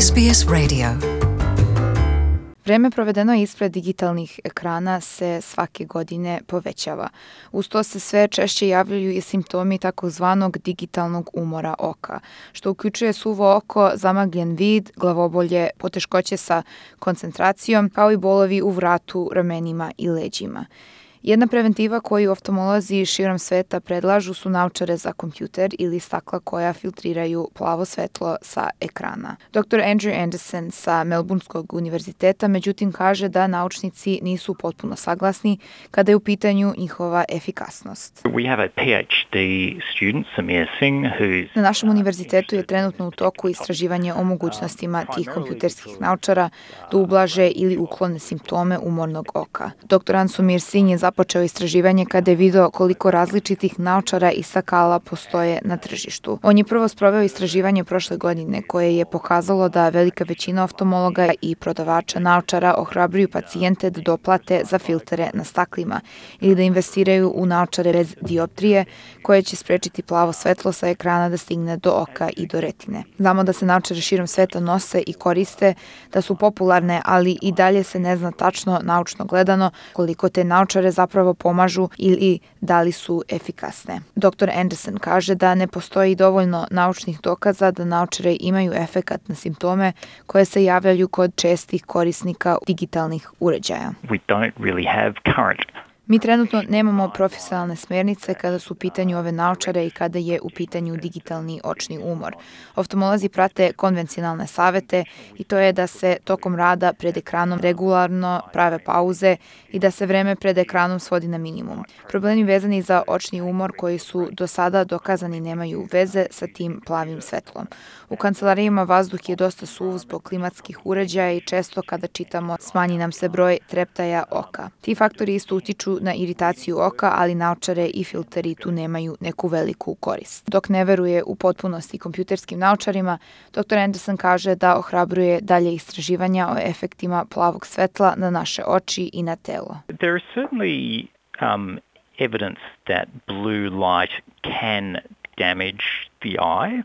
SBS Radio. Vreme provedeno ispred digitalnih ekrana se svake godine povećava. Uz to se sve češće javljaju i simptomi takozvanog digitalnog umora oka, što uključuje suvo oko, zamagljen vid, glavobolje, poteškoće sa koncentracijom, kao i bolovi u vratu, ramenima i leđima. Jedna preventiva koju oftalmolozi širom sveta predlažu su naočare za kompjuter ili stakla koja filtriraju plavo svetlo sa ekrana. Dr. Andrew Anderson sa Melbourneskog univerziteta međutim kaže da naučnici nisu potpuno saglasni kada je u pitanju njihova efikasnost. Na našem univerzitetu je trenutno u toku istraživanje o mogućnostima tih kompjuterskih naočara da ublaže ili uklone simptome umornog oka. Dr. Ansumir Singh je započeo istraživanje kada je video koliko različitih naočara i stakala postoje na tržištu. On je prvo sproveo istraživanje prošle godine koje je pokazalo da velika većina oftalmologa i prodavača naočara ohrabruju pacijente da doplate za filtere na staklima ili da investiraju u naočare bez dioptrije koje će sprečiti plavo svetlo sa ekrana da stigne do oka i do retine. Znamo da se naočare širom sveta nose i koriste, da su popularne, ali i dalje se ne zna tačno naučno gledano koliko te naočare zapravo pomažu ili da li su efikasne. Dr. Anderson kaže da ne postoji dovoljno naučnih dokaza da naočare imaju efekat na simptome koje se javljaju kod čestih korisnika digitalnih uređaja. Mi trenutno nemamo profesionalne smernice kada su u pitanju ove naočare i kada je u pitanju digitalni očni umor. Oftalmolozi prate konvencionalne savete i to je da se tokom rada pred ekranom regularno prave pauze i da se vreme pred ekranom svodi na minimum. Problemi vezani za očni umor koji su do sada dokazani nemaju veze sa tim plavim svetlom. U kancelarijama vazduh je dosta suv zbog klimatskih uređaja i često kada čitamo smanji nam se broj treptaja oka. Ti faktori isto utiču na iritaciju oka, ali naočare i filteri tu nemaju neku veliku korist. Dok ne veruje u potpunosti kompjuterskim naočarima, dr. Anderson kaže da ohrabruje dalje istraživanja o efektima plavog svetla na naše oči i na telo. There is certainly evidence that blue light can damage the eye.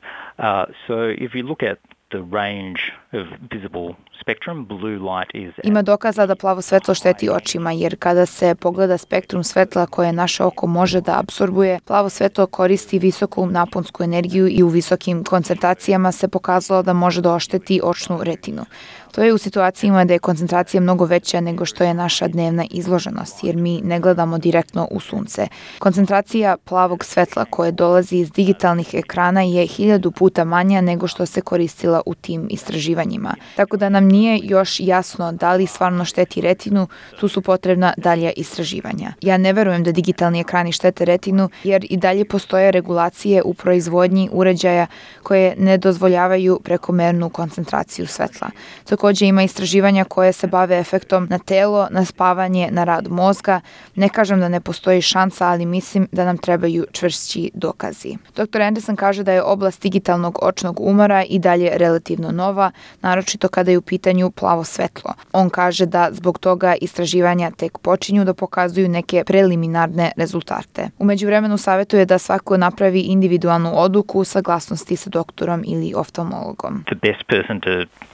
So if you look at the range of visible spectrum, blue light is... Ima dokaza da plavo svetlo šteti očima, jer kada se pogleda spektrum svetla koje naše oko može da apsorbuje, plavo svetlo koristi visoku naponsku energiju i u visokim koncentracijama se pokazalo da može da ošteti očnu retinu. To je u situacijama da je koncentracija mnogo veća nego što je naša dnevna izloženost, jer mi ne gledamo direktno u sunce. Koncentracija plavog svetla koje dolazi iz digitalnih ekrana je 1000 puta manja nego što se koristila u tim istraživanjima. Tako da nam nije još jasno da li stvarno šteti retinu, tu su potrebna dalja istraživanja. Ja ne verujem da digitalni ekrani štete retinu, jer i dalje postoje regulacije u proizvodnji uređaja koje ne dozvoljavaju prekomernu koncentraciju svetla. Također ima istraživanja koje se bave efektom na telo, na spavanje, na rad mozga. Ne kažem da ne postoji šansa, ali mislim da nam trebaju čvršći dokazi. Dr. Anderson kaže da je oblast digitalnog očnog umora i dalje relativno nova, naročito kada je u pitanju plavo svetlo. On kaže da zbog toga istraživanja tek počinju da pokazuju neke preliminarne rezultate. U međuvremenu savjetuje da svako napravi individualnu odluku u saglasnosti sa doktorom ili oftalmologom. The best person to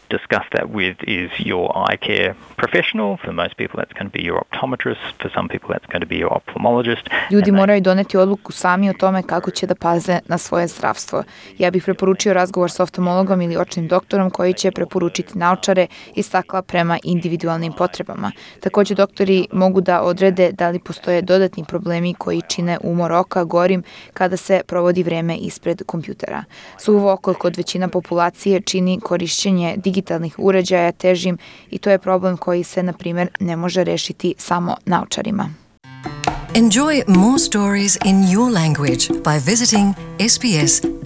discuss that with is your eye care professional. For most people that's going to be your optometrist. For some people that's going to be your ophthalmologist. Ljudi moraju doneti odluku sami o tome kako će da paze na svoje zdravstvo. Ja bih preporučio razgovor sa oftalmologom ili očnim doktorom koji će preporučiti naočare i stakla prema individualnim potrebama. Također doktori mogu da odrede da li postoje dodatni problemi koji čine umor oka gorim kada se provodi vreme ispred kompjutera. Suvo oko kod većina populacije čini korišćenje digitalnih uređaja težim i to je problem koji se, na primjer, ne može rešiti samo naočarima. Enjoy more stories in your language by visiting sbs.com.au.